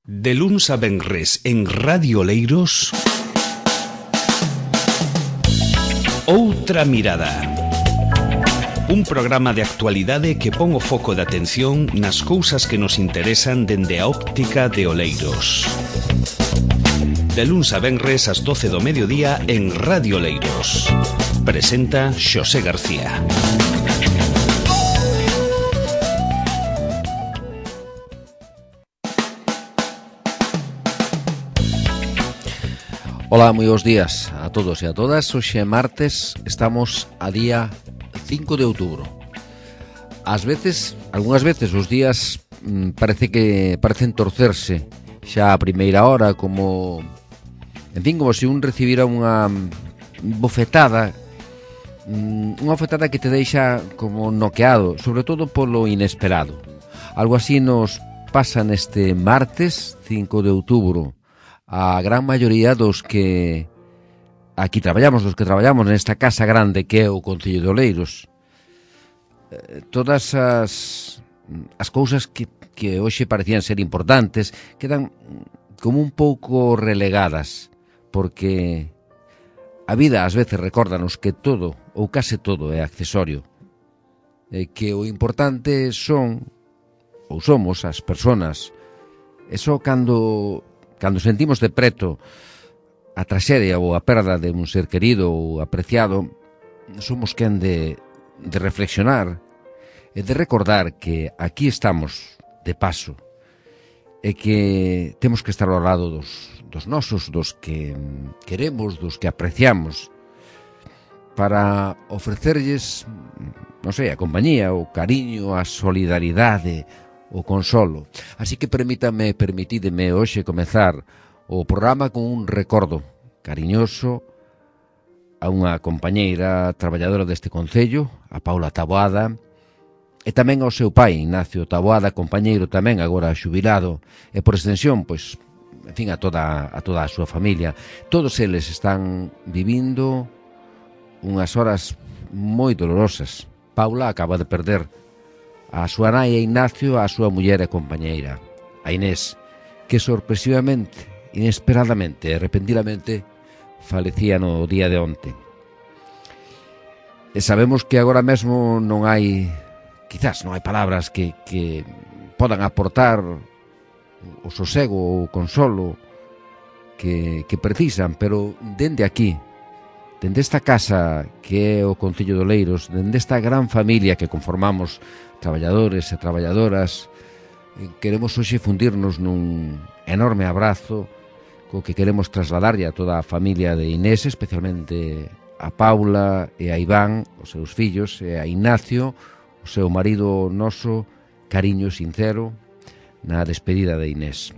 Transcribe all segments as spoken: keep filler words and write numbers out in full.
De luns a venres en Radio Oleiros, Outra Mirada. Un programa de actualidade que pon o foco de atención nas cousas que nos interesan dende a óptica de Oleiros. De luns a venres ás doce do mediodía en Radio Oleiros. Presenta Xosé García. Ola, moi bons días a todos e a todas. Hoxe é martes, estamos a día cinco de outubro. Ás veces, algunhas veces os días mmm, parece que parecen torcerse xa a primeira hora, como en fin, como se un recibira unha bofetada, unha bofetada que te deixa como noqueado, sobre todo polo inesperado. Algo así nos pasa neste martes cinco de outubro. A gran maioría dos que aquí traballamos, dos que traballamos nesta casa grande que é o Concello de Oleiros, eh, todas as, as cousas que, que hoxe parecían ser importantes quedan como un pouco relegadas, porque a vida ás veces recórdanos que todo, ou case todo, é accesorio, e que o importante son, ou somos, as persoas. E só cando... Cando sentimos de preto a traxedia ou a perda de un ser querido ou apreciado, somos quen de, de reflexionar e de recordar que aquí estamos de paso e que temos que estar ao lado dos, dos nosos, dos que queremos, dos que apreciamos, para ofrecerlles, non sei, a compañía, o cariño, a solidaridade, o consolo. Así que permítame, permitídeme hoxe comezar o programa con un recordo cariñoso a unha compañeira traballadora deste concello, a Paula Taboada, e tamén ao seu pai, Ignacio Taboada, compañeiro tamén agora xubilado, e por extensión, pois, en fin, a toda a toda a súa familia. Todos eles están vivindo unhas horas moi dolorosas. Paula acaba de perder a súa nai e Ignacio, a súa muller e compañeira, a Inés, que sorpresivamente, inesperadamente e repentinamente falecía no día de onte. E sabemos que agora mesmo non hai, quizás non hai palabras que, que podan aportar o sosego ou o consolo que, que precisan, pero dende aquí, dende esta casa que é o Concello de Oleiros, dende esta gran familia que conformamos traballadores e traballadoras, queremos hoxe fundirnos nun enorme abrazo co que queremos trasladarlle a toda a familia de Inés, especialmente a Paula e a Iván, os seus fillos, e a Ignacio, o seu marido noso, cariño sincero na despedida de Inés,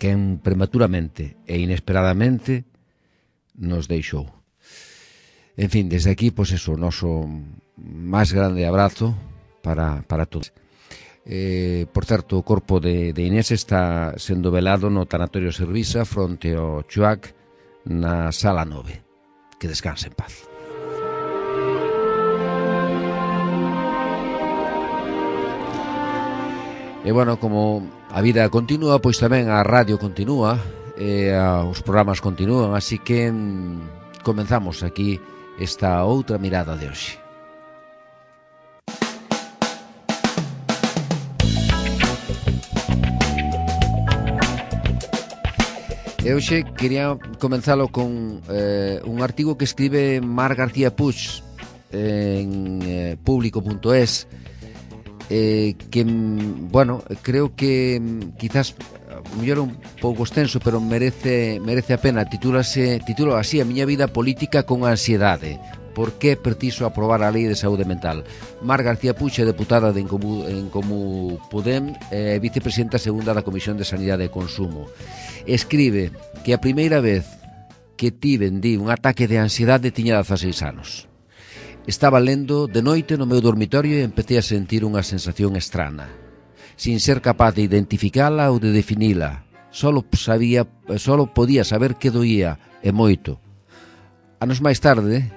quen prematuramente e inesperadamente nos deixou. En fin, desde aquí, pois eso, o noso máis grande abrazo para, para todos. Eh, por certo, o corpo de, de Inés está sendo velado no tanatorio Servisa fronte ao Chuac na sala nove. Que descanse en paz. E bueno, como a vida continúa, pois tamén a radio continúa e a, os programas continúan, así que mm, comenzamos aquí esta outra mirada de hoxe. E hoxe quería comenzalo con eh, un artigo que escribe Mar García Puig en eh, público punto es, eh, que, bueno, creo que quizás mellor un pouco extenso, pero merece merece a pena. Titúlase, titulo así: A miña vida política con ansiedade. Por que é preciso aprobar a lei de saúde mental? Mar García Puig é deputada de Encomú, Encomú Podem e eh, vicepresidenta segunda da Comisión de Sanidade e Consumo. Escribe que a primeira vez que tiven di un ataque de ansiedade tiña dezaseis anos. Estaba lendo de noite no meu dormitorio e empecé a sentir unha sensación estrana, sin ser capaz de identificala ou de definila. Solo sabía, solo podía saber que doía, e moito. Anos máis tarde,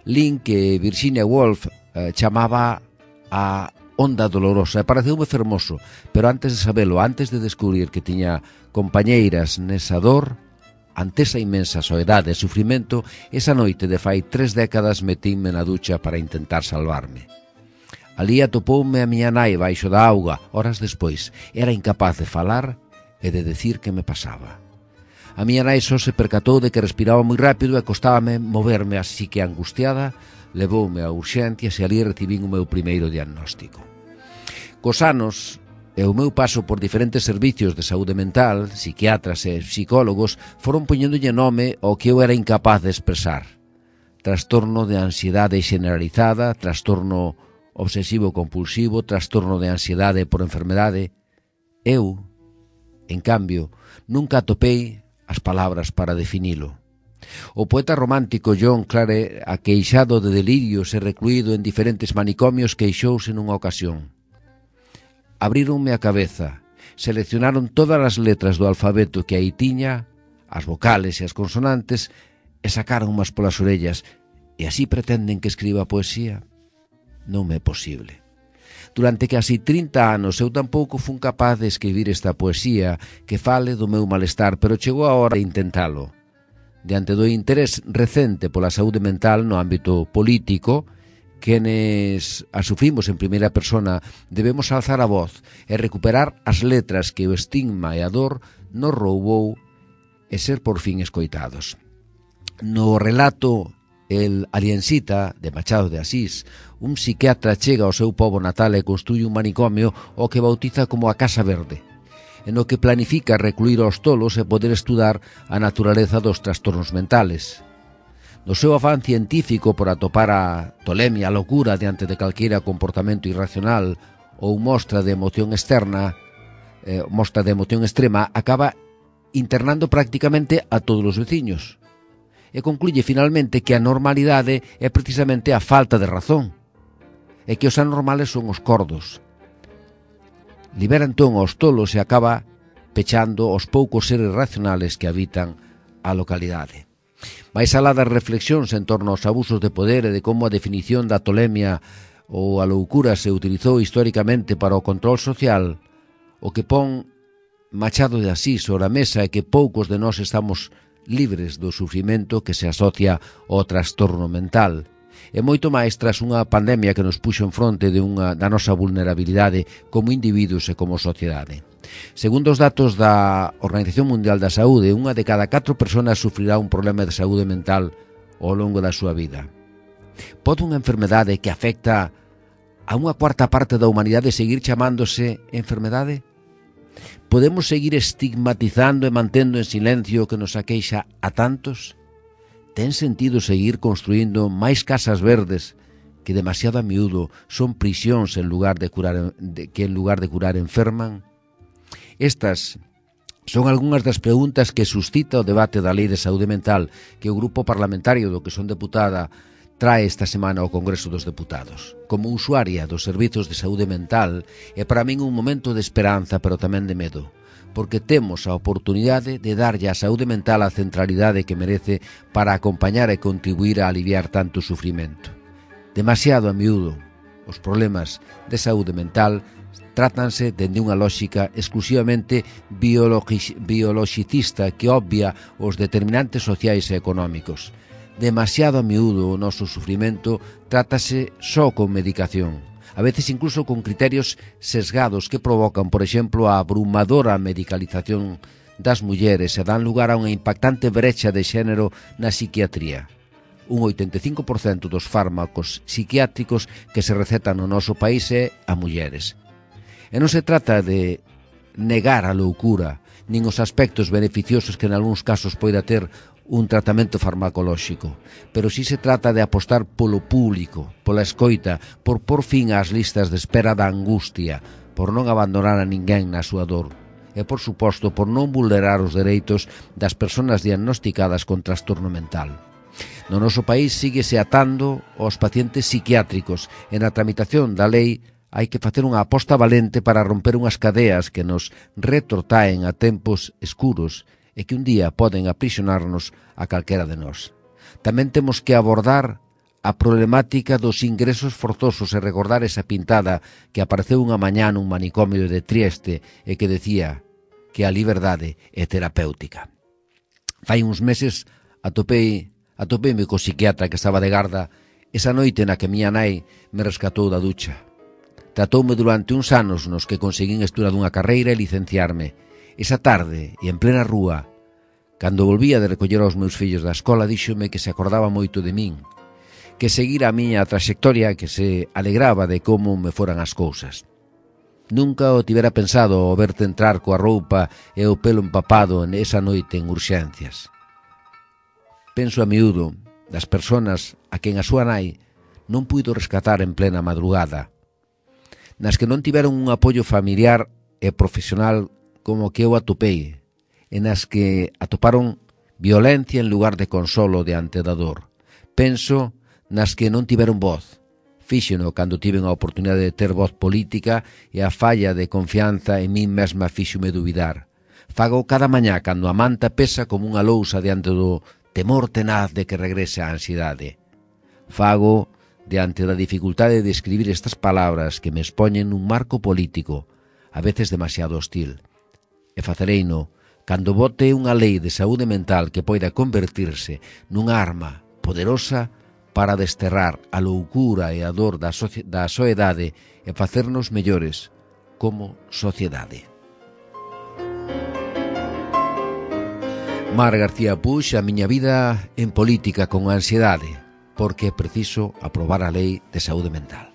lin que Virginia Woolf eh, chamaba a onda dolorosa, e pareceume fermoso, pero antes de sabelo, antes de descubrir que tiña compañeiras nesa dor, ante esa inmensa soedade e sufrimento, esa noite de fai tres décadas metínme na ducha para intentar salvarme. Alí atopoume a miña nai baixo da auga, horas despois. Era incapaz de falar e de decir que me pasaba. A miña nai só se percatou de que respiraba moi rápido e costábame moverme, así que angustiada levoume a urxencias e ali recibín o meu primeiro diagnóstico. Cos anos e o meu paso por diferentes servicios de saúde mental, psiquiatras e psicólogos foron poñéndolle nome ao que eu era incapaz de expresar. Trastorno de ansiedade generalizada, trastorno obsesivo-compulsivo, trastorno de ansiedade por enfermedade. Eu, en cambio, nunca atopei as palabras para definilo. O poeta romántico John Clare, aqueixado de delirios e recluído en diferentes manicomios, queixouse nunha ocasión. Abríronme a cabeza, seleccionaron todas as letras do alfabeto que aí tiña, as vocales e as consonantes, e sacaron umas polas orellas. E así pretenden que escriba poesía? Non me é posible. Durante casi trinta anos eu tampouco fun capaz de escribir esta poesía que fale do meu malestar, pero chegou a hora de intentalo. Diante do interés recente pola saúde mental no ámbito político, quenes a sufrimos en primeira persona debemos alzar a voz e recuperar as letras que o estigma e a dor nos roubou e ser por fin escoitados. No relato El Aliensita, de Machado de Asís, un psiquiatra chega ao seu pobo natal e construye un manicomio o que bautiza como a Casa Verde, en o que planifica recluir aos tolos e poder estudar a naturaleza dos trastornos mentales. No seu afán científico por atopar a tolemia, a locura diante de calquera comportamento irracional ou mostra de emoción externa, eh, mostra de emoción extrema, acaba internando prácticamente a todos os veciños. E concluye finalmente que a normalidade é precisamente a falta de razón, e que os anormales son os cordos. Libera entón aos tolos e acaba pechando os poucos seres racionales que habitan a localidade. Mais alá das reflexións en torno aos abusos de poder e de como a definición da tolemia ou a loucura se utilizou históricamente para o control social, o que pon Machado de Asís sobre a mesa é que poucos de nós estamos libres do sufrimento que se asocia ao trastorno mental. E moito máis tras unha pandemia que nos puxo en fronte de unha, da nosa vulnerabilidade como individuos e como sociedade. Segundo os datos da Organización Mundial da Saúde, unha de cada catro persoas sufrirá un problema de saúde mental ao longo da súa vida. Pode unha enfermedade que afecta a unha cuarta parte da humanidade seguir chamándose enfermedade? Podemos seguir estigmatizando e mantendo en silencio o que nos aqueixa a tantos? Ten sentido seguir construindo máis casas verdes que demasiado a miúdo son prisións en lugar de curar, de, que en lugar de curar enferman? Estas son algunhas das preguntas que suscita o debate da Lei de Saúde Mental que o Grupo Parlamentario do que son deputada trae esta semana ao Congreso dos Deputados. Como usuaria dos servizos de saúde mental, é para min un momento de esperanza, pero tamén de medo, porque temos a oportunidade de darlle á saúde mental a centralidade que merece para acompañar e contribuir a aliviar tanto sufrimento. Demasiado a miúdo, os problemas de saúde mental trátanse dende unha lógica exclusivamente biologicista que obvia os determinantes sociais e económicos. Demasiado a miúdo o noso sufrimento trátase só con medicación, a veces incluso con criterios sesgados que provocan, por exemplo, a abrumadora medicalización das mulleres e dan lugar a unha impactante brecha de xénero na psiquiatría. Un oitenta e cinco por cento dos fármacos psiquiátricos que se recetan no noso país é a mulleres. E non se trata de negar a loucura, nin os aspectos beneficiosos que en algúns casos poida ter un tratamento farmacolóxico, pero si se trata de apostar polo público, pola escoita, por por fin ás listas de espera da angustia, por non abandonar a ninguén na súa dor, e por suposto por non vulnerar os dereitos das persoas diagnosticadas con trastorno mental. No noso país síguese atando aos pacientes psiquiátricos e na tramitación da lei hai que facer unha aposta valente para romper unhas cadeas que nos retrotraen a tempos escuros e que un día poden aprisionarnos a calquera de nós. Tamén temos que abordar a problemática dos ingresos forzosos e recordar esa pintada que apareceu unha mañá nun manicomio de Trieste e que decía que a liberdade é terapéutica. Fai uns meses atopei, atopeime co psiquiatra que estaba de garda esa noite na que miña nai me rescatou da ducha. Tratoume durante uns anos nos que conseguín estudar dunha carreira e licenciarme. Esa tarde, e en plena rúa, cando volvía de recoller aos meus fillos da escola, díxome que se acordaba moito de min, que seguira a miña traxectoria, que se alegraba de como me foran as cousas. Nunca o tivera pensado o verte entrar coa roupa e o pelo empapado esa noite en urxencias. Penso a miúdo das persoas a quen a súa nai non puido rescatar en plena madrugada, nas que non tiveron un apoio familiar e profesional como que eu atopei, e nas que atoparon violencia en lugar de consolo diante da dor. Penso nas que non tiveron voz. Fíxeno cando tiven a oportunidade de ter voz política e a falla de confianza en min mesma fíxome dubidar. Fago cada mañá cando a manta pesa como unha lousa diante do temor tenaz de que regrese a ansiedade. Fago diante da dificultade de escribir estas palabras que me expoñen nun marco político, a veces demasiado hostil. E facereino cando vote unha lei de saúde mental que poida convertirse nunha arma poderosa para desterrar a loucura e a dor da, socie- da soedade e facernos mellores como sociedade. Mar García Puig, a miña vida en política con ansiedade, porque é preciso aprobar a lei de saúde mental.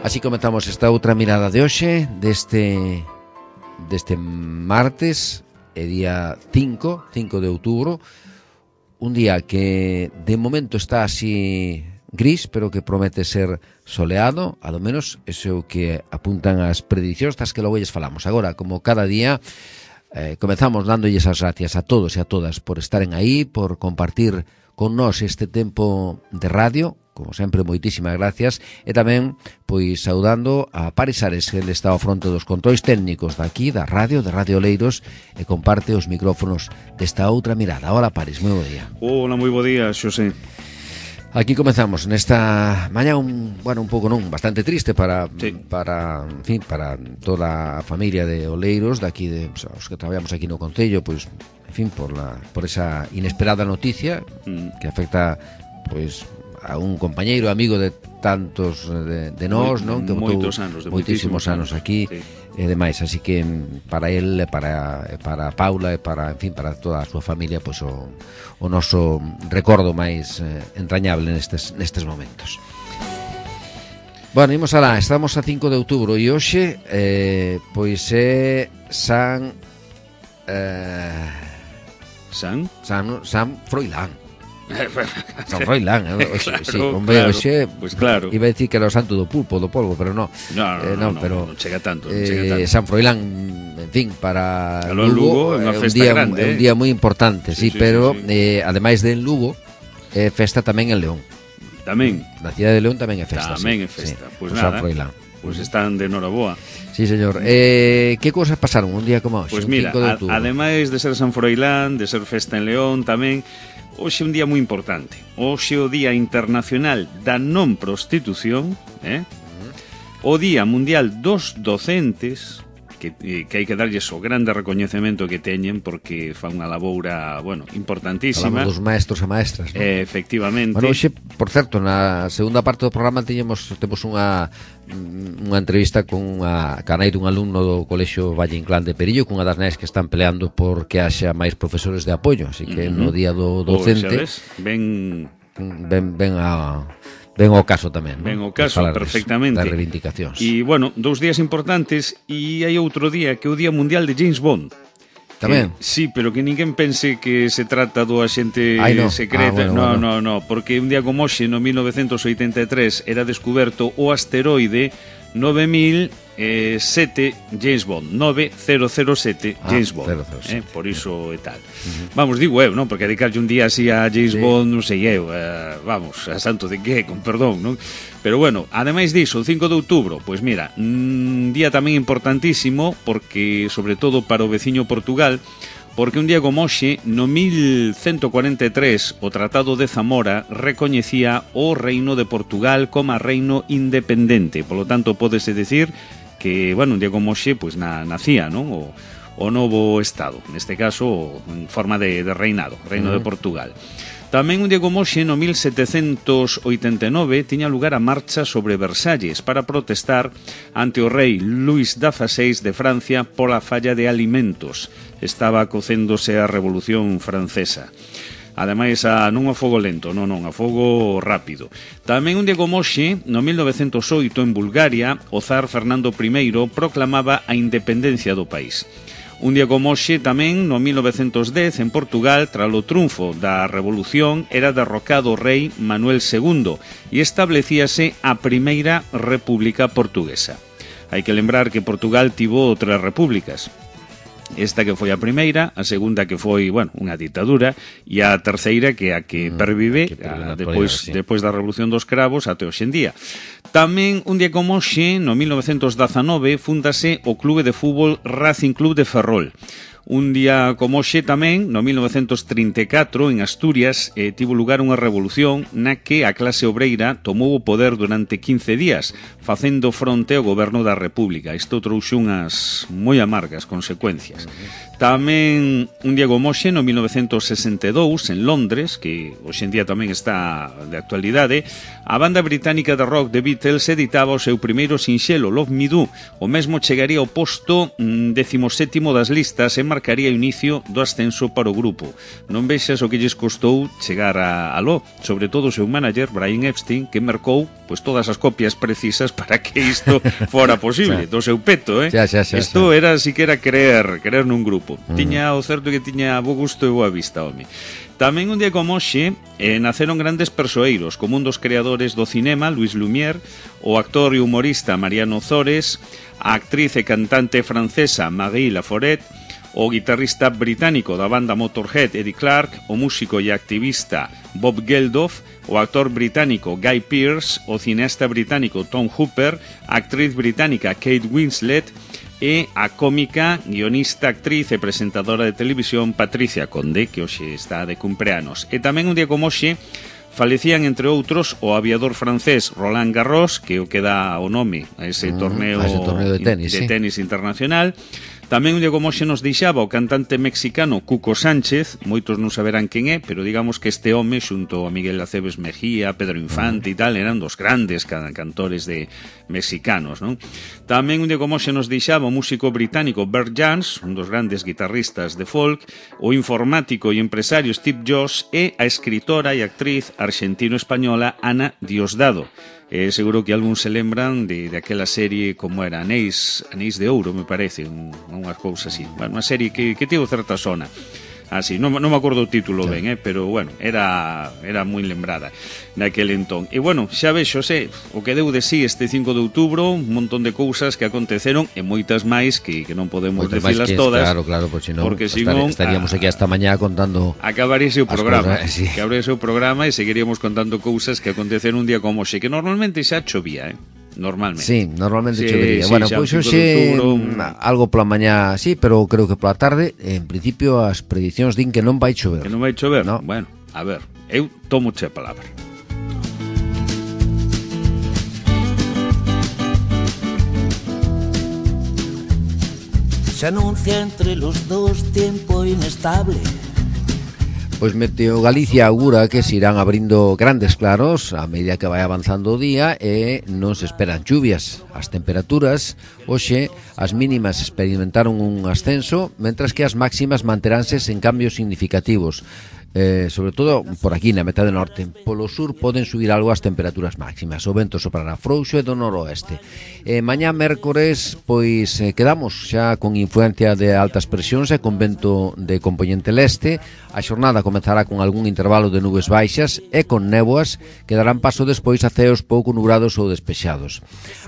Así comenzamos esta outra mirada de hoxe, deste, deste martes, é día cinco, cinco de outubro, un día que de momento está así gris, pero que promete ser soleado, a lo menos ese é o que apuntan as predicións, tas que logo lles falamos. Agora, como cada día, eh, comenzamos dándolles as gracias a todos e a todas por estaren aí, por compartir con nós este tempo de radio. Como sempre, moitísimas gracias, e tamén, pois, saudando a Paris Ares, que ele está ao fronte dos controis técnicos daqui, da radio, de Radio Oleiros, e comparte os micrófonos desta outra mirada. Hola, Paris, moi bo día. Hola, moi bo día, Xosé. Aquí comezamos nesta mañá un, bueno, un pouco non, bastante triste para sí. para, en fin, para toda a familia de Oleiros, daqui de os que traballamos aquí no concello, pois, en fin, por la por esa inesperada noticia mm. que afecta, pois, a un compañeiro, amigo de tantos de, de nós, non? Que moitos anos, de moitísimos anos aquí, sí. E demais, así que para el, para para Paula e para, en fin, para toda a súa familia, pois o, o noso recordo máis eh, entrañable nestes nestes momentos. Bueno, imos alá, estamos a cinco de outubro e hoxe eh, pois é San eh, San San San Froilán. San Froilán, eh? Oxe, claro, sí, hombre, claro, oxe, pues claro. Iba a decir que era o santo do pulpo, do polvo, pero no. No, no, eh, no, no, no, pero non chega tanto, non eh, chega tanto. San Froilán, en fin, para Lugo, Lugo é unha é un festa día grande, é un eh? día moi importante, sí, sí, sí, pero sí, sí. Eh, ademais de en Lugo, é festa tamén en León. Tamén. Na cidade de León tamén é festa. Tamén sí, é festa. Sí, Pois pues nada. San Froilán. Pois pues están de noraboa. Sí, señor. Eh, que cousas pasaron un día como hoxe? Pois pues mira, a, de ademais de ser San Froilán, de ser festa en León tamén, hoxe é un día moi importante. Hoxe é o Día Internacional da Non Prostitución, eh? O Día Mundial dos Docentes, que, eh, que hai que darlles o grande recoñecemento que teñen porque fan unha laboura, bueno, importantísima. Falamos dos maestros e maestras, ¿no? Eh, efectivamente. Bueno, hoxe, por certo, na segunda parte do programa teñemos temos unha unha entrevista con unha canai dun alumno do Colexio Valle Inclán de Perillo, cunha das nais que están peleando por que haxa máis profesores de apoio, así que uh-huh. no día do docente pues, ven ven ven a Ben o caso tamén, Ben o caso, perfectamente. Das reivindicacións. E, bueno, dous días importantes e hai outro día que é o Día Mundial de James Bond. Tamén? Que, sí, pero que ninguén pense que se trata do axente Ai, no. secreta. Ah, bueno, no, bueno. no, no, porque un día como hoxe, no mil novecentos oitenta e tres, era descuberto o asteroide nove mil sete James Bond, nove mil sete ah, James Bond, cero cero sete. eh, por iso e tal. Uh-huh. Vamos, digo eu, non? Porque dedicarlle un día así a James sí. Bond, non sei eu, eh, vamos, a santo de que, con perdón, non? Pero bueno, ademais diso, o cinco de outubro, pois mira, un día tamén importantísimo, porque, sobre todo para o veciño Portugal, porque un día como hoxe, no mil ciento cuarenta e tres, o Tratado de Zamora recoñecía o Reino de Portugal como reino independente. Por lo tanto, pódese decir que, bueno, un día como hoxe, pues na, nacía, non? O, o novo Estado, neste caso, en forma de, de reinado, Reino uh-huh. de Portugal. Tamén un día como hoxe, no mil setecentos oitenta e nove, tiña lugar a marcha sobre Versalles para protestar ante o rei Luís dieciséis de Francia pola falla de alimentos. Estaba cocéndose a Revolución Francesa. Ademais, a, non a fogo lento, non, non, a fogo rápido. Tamén un día como hoxe, no mil novecentos oito, en Bulgaria, o zar Fernando primeiro proclamaba a independencia do país. Un día como hoxe tamén, no mil novecentos dez, en Portugal, tras o triunfo da Revolución, era derrocado o rei Manuel segundo e establecíase a Primeira República Portuguesa. Hai que lembrar que Portugal tivo tres repúblicas. Esta que foi a primeira, a segunda que foi, bueno, unha ditadura, e a terceira que a que pervive que a, depois, sí. depois da Revolución dos Cravos até hoxe en día. Tamén, un día como hoxe, no mil novecentos dezanove, fundase o clube de fútbol Racing Club de Ferrol. Un día como hoxe tamén, no mil novecentos trinta e catro, en Asturias, eh, tivo lugar unha revolución na que a clase obreira tomou o poder durante quince días, facendo fronte ao goberno da República. Isto trouxe unhas moi amargas consecuencias. Tamén, un día como hoxe, no mil novecentos sesenta e dous, en Londres, que hoxe en día tamén está de actualidade, a banda británica de rock The Beatles editaba o seu primeiro sinxelo, Love Me Do. O mesmo chegaría ao posto mm, decimosétimo das listas e marcaría o inicio do ascenso para o grupo. Non vexas o que lles costou chegar a aló, sobre todo o seu manager, Brian Epstein, que marcou pois todas as copias precisas para que isto fora posible, do seu peto, eh? Isto era siquera querer, querer nun grupo. Uh-huh. Tiña o certo que tiña bo gusto e boa vista, home. Tamén un día como hoxe eh, naceron grandes persoeiros, como un dos creadores do cinema, Louis Lumière, o actor e humorista Mariano Zores, a actriz e cantante francesa Marie Laforêt, o guitarrista británico da banda Motorhead Eddie Clark, o músico e activista Bob Geldof, o actor británico Guy Pearce, o cineasta británico Tom Hooper, a actriz británica Kate Winslet e a cómica, guionista, actriz e presentadora de televisión Patricia Conde, que hoxe está de cumpleanos. E tamén un día como hoxe falecían, entre outros, o aviador francés Roland Garros, que o que dá o nome a ese mm, torneo, a ese torneo de tenis, de sí. tenis internacional. Tamén un día como hoxe nos deixaba o cantante mexicano Cuco Sánchez, moitos non saberán quen é, pero digamos que este home, xunto a Miguel Aceves Mejía, Pedro Infante e tal, eran dos grandes cantores de mexicanos, non? Tamén un día como hoxe nos deixaba o músico británico Bert Jansch, un dos grandes guitarristas de folk, o informático e empresario Steve Jobs e a escritora e actriz argentino-española Ana Diosdado. Eh, seguro que algún se lembran de, de aquela serie como era Anéis, Anéis de Ouro, me parece, un, unha cousa así, bueno, unha serie que, que tivo certa zona así, non, non me acordo o título sí. ben, eh, pero bueno, era era moi lembrada naquele entón. E bueno, xa vexo, sé, o que deu de sí este cinco de outubro, un montón de cousas que aconteceron e moitas máis que, que non podemos decilas todas. Claro, claro, porque senón porque senón estaríamos aquí hasta mañá contando. Acabaríase o programa, cosas, sí. que abriese o programa e seguiríamos contando cousas que aconteceron un día como hoxe, que normalmente xa chovía, eh. Normalmente. Sí, normalmente sí, chovería. Sí, bueno, pois pues, hoxe algo pola mañá, sí, pero creo que pola tarde, en principio as predicións din que non vai chover. Que non vai chover? No. Bueno, a ver, eu tomo che a palabra. Se anuncia entre los dos tiempo inestable. Pois Meteo Galicia augura que se irán abrindo grandes claros a medida que vai avanzando o día e non se esperan lluvias. As temperaturas, hoxe, as mínimas experimentaron un ascenso, mentras que as máximas manteránse sen cambios significativos. Eh, sobre todo por aquí na metade norte. Polo sur poden subir algo as temperaturas máximas. O vento soprará frouxo e do noroeste. eh, Mañá mércores pois eh, quedamos xa con influencia de altas presións e con vento de componente leste. A xornada comezará con algún intervalo de nubes baixas e con néboas que darán paso despois a ceos pouco nubrados ou despexados.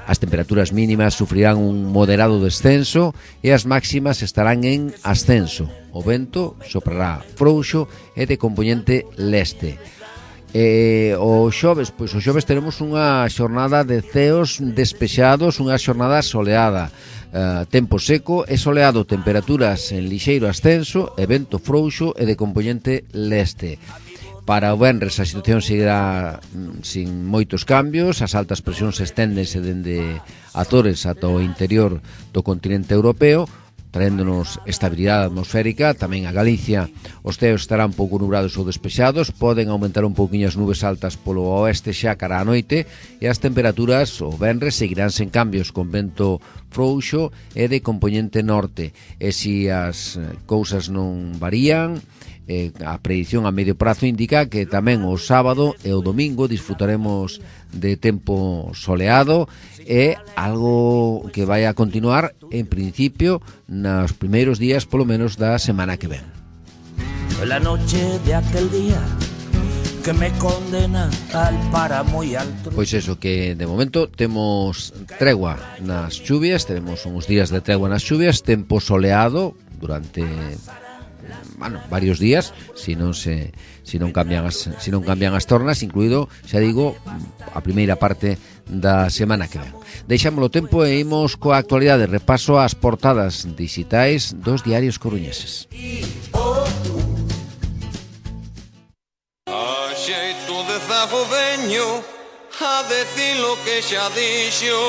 As temperaturas mínimas sufrirán un moderado descenso e as máximas estarán en ascenso. O vento soprará frouxo e de componente leste. E o xoves, pois o xoves teremos unha xornada de ceos despexados, unha xornada soleada, uh, tempo seco e soleado, temperaturas en lixeiro ascenso e vento frouxo e de compoñente leste. Para o venres a situación seguirá mm, sin moitos cambios, as altas presións esténdense dende Azores ata o interior do continente europeo, traéndonos estabilidade atmosférica. Tamén a Galicia os ceos estarán pouco nubrados ou despexados, poden aumentar un pouquiño as nubes altas polo oeste xa cara á noite, e as temperaturas o venres seguirán sen cambios, con vento frouxo e de compoñente norte. E se as cousas non varían, eh, a predición a medio prazo indica que tamén o sábado e o domingo disfrutaremos de tempo soleado, e algo que vai a continuar en principio nos primeiros días polo menos da semana que ven. La noche de aquel día que me condena al páramo y al tro... Pois eso, que de momento temos tregua nas chuvias, teremos uns días de tregua nas chuvias, tempo soleado durante bueno, varios días, se non se se non cambian as se non cambian as tornas, incluído, xa digo, a primeira parte da semana que ven. Deixámolo tempo e imos coa actualidade, repaso ás portadas digitais dos diarios coruñeses. A xeito de zago veño a decir lo que xa dixo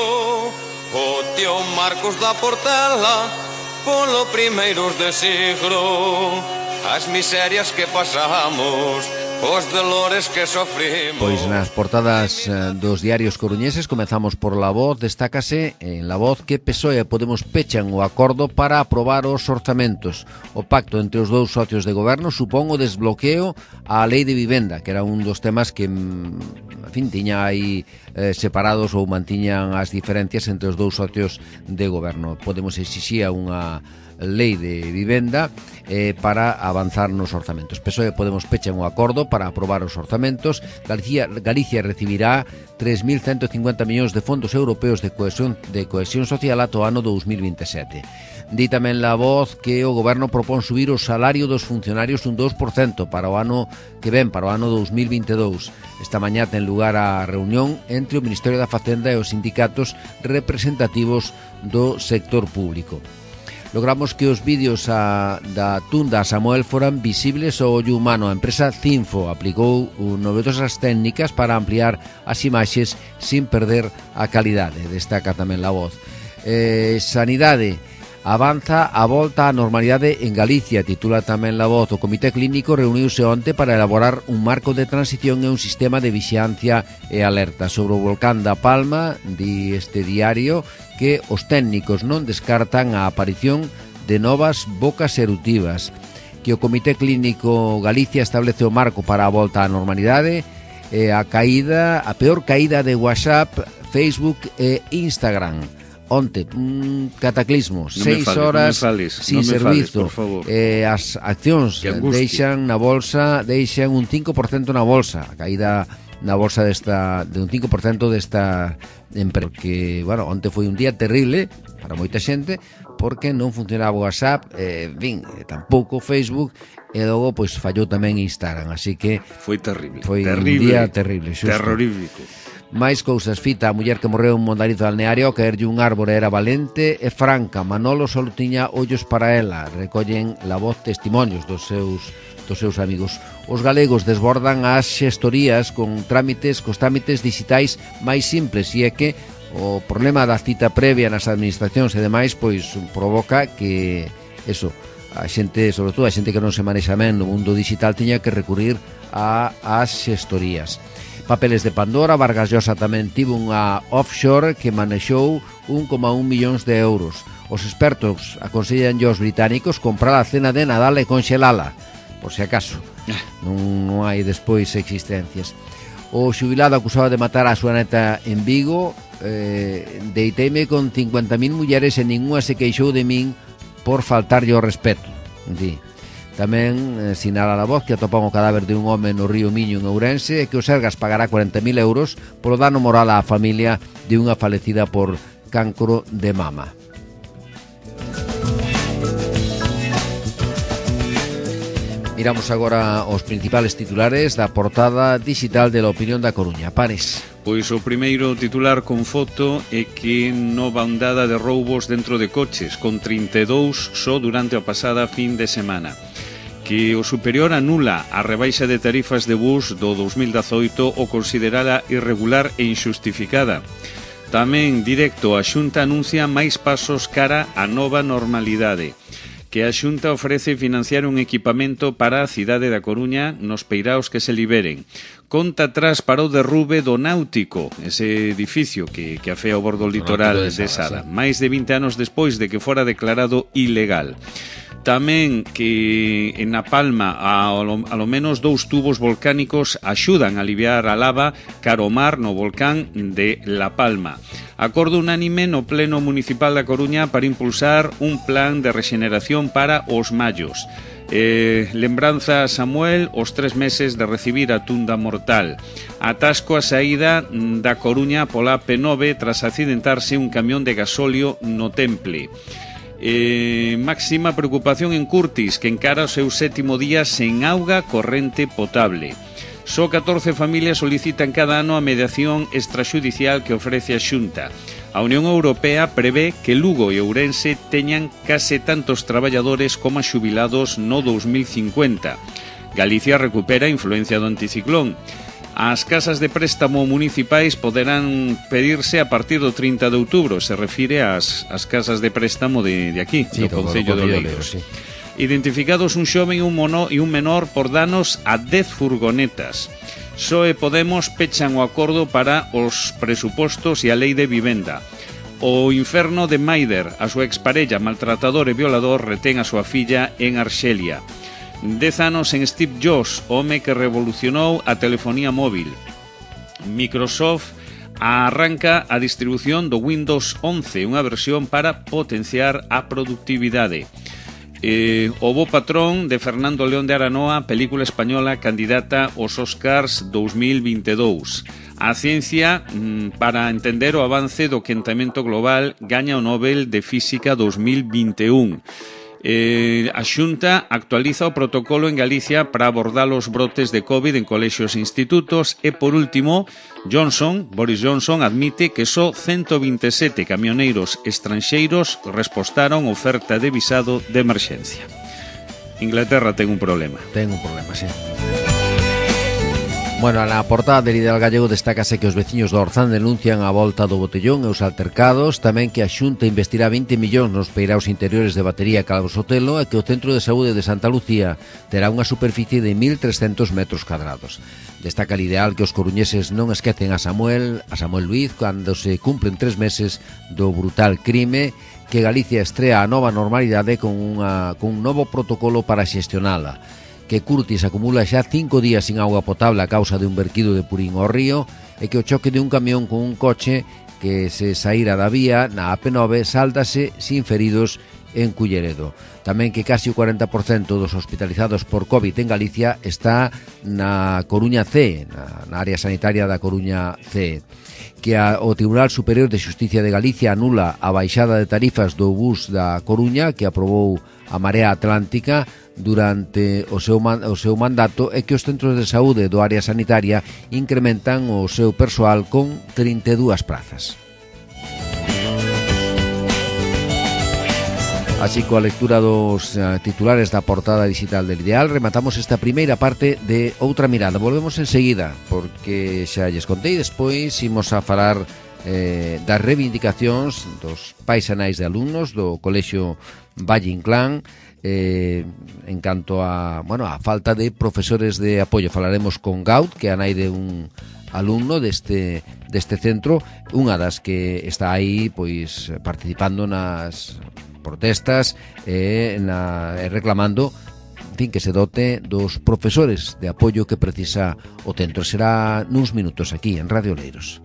o tío Marcos da Portela polo primeiros de siglo, as miserias que pasamos, os dolores que sofrimos. Pois nas portadas eh, dos diarios coruñeses comezamos por La Voz. Destácase en La Voz que P S O E e Podemos pechan o acordo para aprobar os orzamentos. O pacto entre os dous socios de goberno supón o desbloqueo á lei de vivenda, que era un dos temas que, en fin, tiña aí eh, separados ou mantiñan as diferencias entre os dous socios de goberno. Podemos exixía unha lei de vivenda eh, para avanzar nos orzamentos. P S O E e Podemos pechan o acordo para aprobar os orzamentos. Galicia, Galicia recibirá tres mil ciento cincuenta millóns de fondos europeos de cohesión, de cohesión social ata o ano dous mil vinte e sete. Di tamén La Voz que o goberno propón subir o salario dos funcionarios un dous por cento para o ano que ven, para o ano dous mil vinte e dous. Esta mañá ten lugar a reunión entre o Ministerio da Facenda e os sindicatos representativos do sector público. Logramos que os vídeos a, da tunda a Samuel foran visibles ao ollo humano. A empresa Cinfo aplicou novedosas técnicas para ampliar as imaxes sin perder a calidade. Destaca tamén La Voz. Eh, sanidade. Avanza a volta á normalidade en Galicia, titula tamén La Voz. O Comité Clínico reuniuse onte para elaborar un marco de transición e un sistema de vixiancia e alerta. Sobre o volcán da Palma, di este diario, que os técnicos non descartan a aparición de novas bocas eruptivas, que o Comité Clínico Galicia establece o marco para a volta á normalidade, e a caída, a peor caída de WhatsApp, Facebook e Instagram. Onte, un cataclismo, no seis fales, horas no fales, sin no servizo, fales, eh, as accións deixan na bolsa, deixan un cinco por cento na bolsa, a caída na bolsa desta, de un cinco por cento desta empresa, porque, bueno, onte foi un día terrible para moita xente, porque non funcionaba o WhatsApp, eh, bin, tampouco Facebook, e logo, pois, fallou tamén Instagram, así que foi terrible, foi terrible, un día terrible, xusto. Terrorífico. Mais cousas, fita, a muller que morreu en Mondarizo Balneario ao caerlle un árbore era valente e franca. Manolo só tiña ollos para ela. Recollen La Voz testimonios dos seus dos seus amigos. Os galegos desbordan as xestorías con trámites, cos trámites digitais máis simples, e é que o problema da cita previa nas administracións e demais pois provoca que eso, a xente, sobre todo a xente que non se manexa ben no mundo digital, tiña que recurrir a as xestorías. Papeles de Pandora. Vargas Llosa tamén tivo unha offshore que manexou un coma un millóns de euros. Os expertos aconsellan aos británicos comprar a cena de Nadal e conxelala, por se acaso non, non hai despois existencias. O xubilado acusado de matar a súa neta en Vigo. eh, deiteime con cincuenta mil mulleres e ninguna se queixou de min por faltarlle o respeto, di. Tamén eh, sinala La Voz que atopan o cadáver de un home no río Miño en Ourense e que o Sergas pagará cuarenta mil euros polo dano moral á familia de unha falecida por cancro de mama. Miramos agora os principales titulares da portada digital de La Opinión da Coruña. Pares. Pois o primeiro titular con foto é que nova ondada de roubos dentro de coches, con trinta e dous só durante a pasada fin de semana. Que o superior anula a rebaixa de tarifas de bus do dos mil dezoito o considerala irregular e injustificada. Tamén directo a Xunta anuncia máis pasos cara á nova normalidade. Que a Xunta ofrece financiar un equipamento para a cidade da Coruña nos peiraos que se liberen. Conta atrás para o derrube do Náutico, ese edificio que, que afea o bordo litoral de Sada, máis de vinte anos despois de que fora declarado ilegal. Tamén que en Na Palma a, a lo menos dous tubos volcánicos axudan a aliviar a lava cara ao mar no volcán de La Palma. Acordo unánime no Pleno Municipal da Coruña para impulsar un plan de rexeneración para os mallos. Eh, lembranza a Samuel os tres meses de recibir a tunda mortal. Atasco a saída da Coruña pola P nove tras accidentarse un camión de gasóleo no Temple. Eh, máxima preocupación en Curtis, que encara o seu sétimo día sen auga corrente potable. Só catorce familias solicitan cada ano a mediación extraxudicial que ofrece a Xunta. A Unión Europea prevé que Lugo e Ourense teñan case tantos traballadores como xubilados no dos mil cincuenta. Galicia recupera a influencia do anticiclón. As casas de préstamo municipais poderán pedirse a partir do trinta de outubro, se refire ás, ás casas de préstamo de, de aquí, sí, do Concello de Oleiros. Sí. Identificados un xoven e un, mono, e un menor por danos a dez furgonetas. P S O E e Podemos pechan o acordo para os presupostos e a lei de vivenda. O inferno de Maider, a súa exparella, maltratador e violador, retén a súa filla en Arxelia. Dez anos en Steve Jobs, home que revolucionou a telefonía móvil. Microsoft arranca a distribución do Windows once, unha versión para potenciar a productividade. Eh, o Bo Patrón de Fernando León de Aranoa, película española candidata aos Oscars dos mil veintidous. A ciencia, mm, para entender o avance do quentamento global, gaña o Nobel de Física dos mil veintiún. Eh, a Xunta actualiza o protocolo en Galicia para abordar os brotes de COVID en colexios e institutos. E, por último, Johnson, Boris Johnson admite que só ciento vinte e sete camioneiros estranxeiros respostaron oferta de visado de emerxencia. Inglaterra ten un problema. Ten un problema, sí. Bueno, na portada del Ideal Gallego destácase que os veciños do Orzán denuncian a volta do botellón e os altercados, tamén que a Xunta investirá vinte millóns nos peiraos interiores de Batería e Calvo Sotelo e que o Centro de Saúde de Santa Lucía terá unha superficie de mil trescentos metros cadrados. Destaca el Ideal que os coruñeses non esquecen a Samuel, a Samuel Luiz, cando se cumplen tres meses do brutal crime, que Galicia estrea a nova normalidade con, unha, con un novo protocolo para xestionala. Que Curtis acumula xa cinco días sin auga potable a causa de un verquido de purín ao río e que o choque de un camión con un coche que se saíra da vía na A P nove sáltase sin feridos en Culleredo. Tamén que casi o cuarenta por cento dos hospitalizados por COVID en Galicia está na Coruña C, na, na área sanitaria da Coruña C. Que a, o Tribunal Superior de Xusticia de Galicia anula a baixada de tarifas do bus da Coruña que aprobou a Marea Atlántica durante o seu, man, o seu mandato e que os centros de saúde do área sanitaria incrementan o seu persoal con trinta e dúas prazas. Así, coa lectura dos uh, titulares da portada digital del Ideal, rematamos esta primeira parte de Outra Mirada. Volvemos enseguida, porque xa lles contei, despois imos a falar eh, das reivindicacións dos pais e nais de alumnos do Colexio Valle Inclán, eh, en canto a, bueno, a falta de profesores de apoio. Falaremos con Gaut, que é a nai de un alumno deste, deste centro, unha das que está aí pois participando nas protestas e na, reclamando, en fin, que se dote dos profesores de apoio que precisa o centro. Será nuns minutos aquí en Radio Oleiros.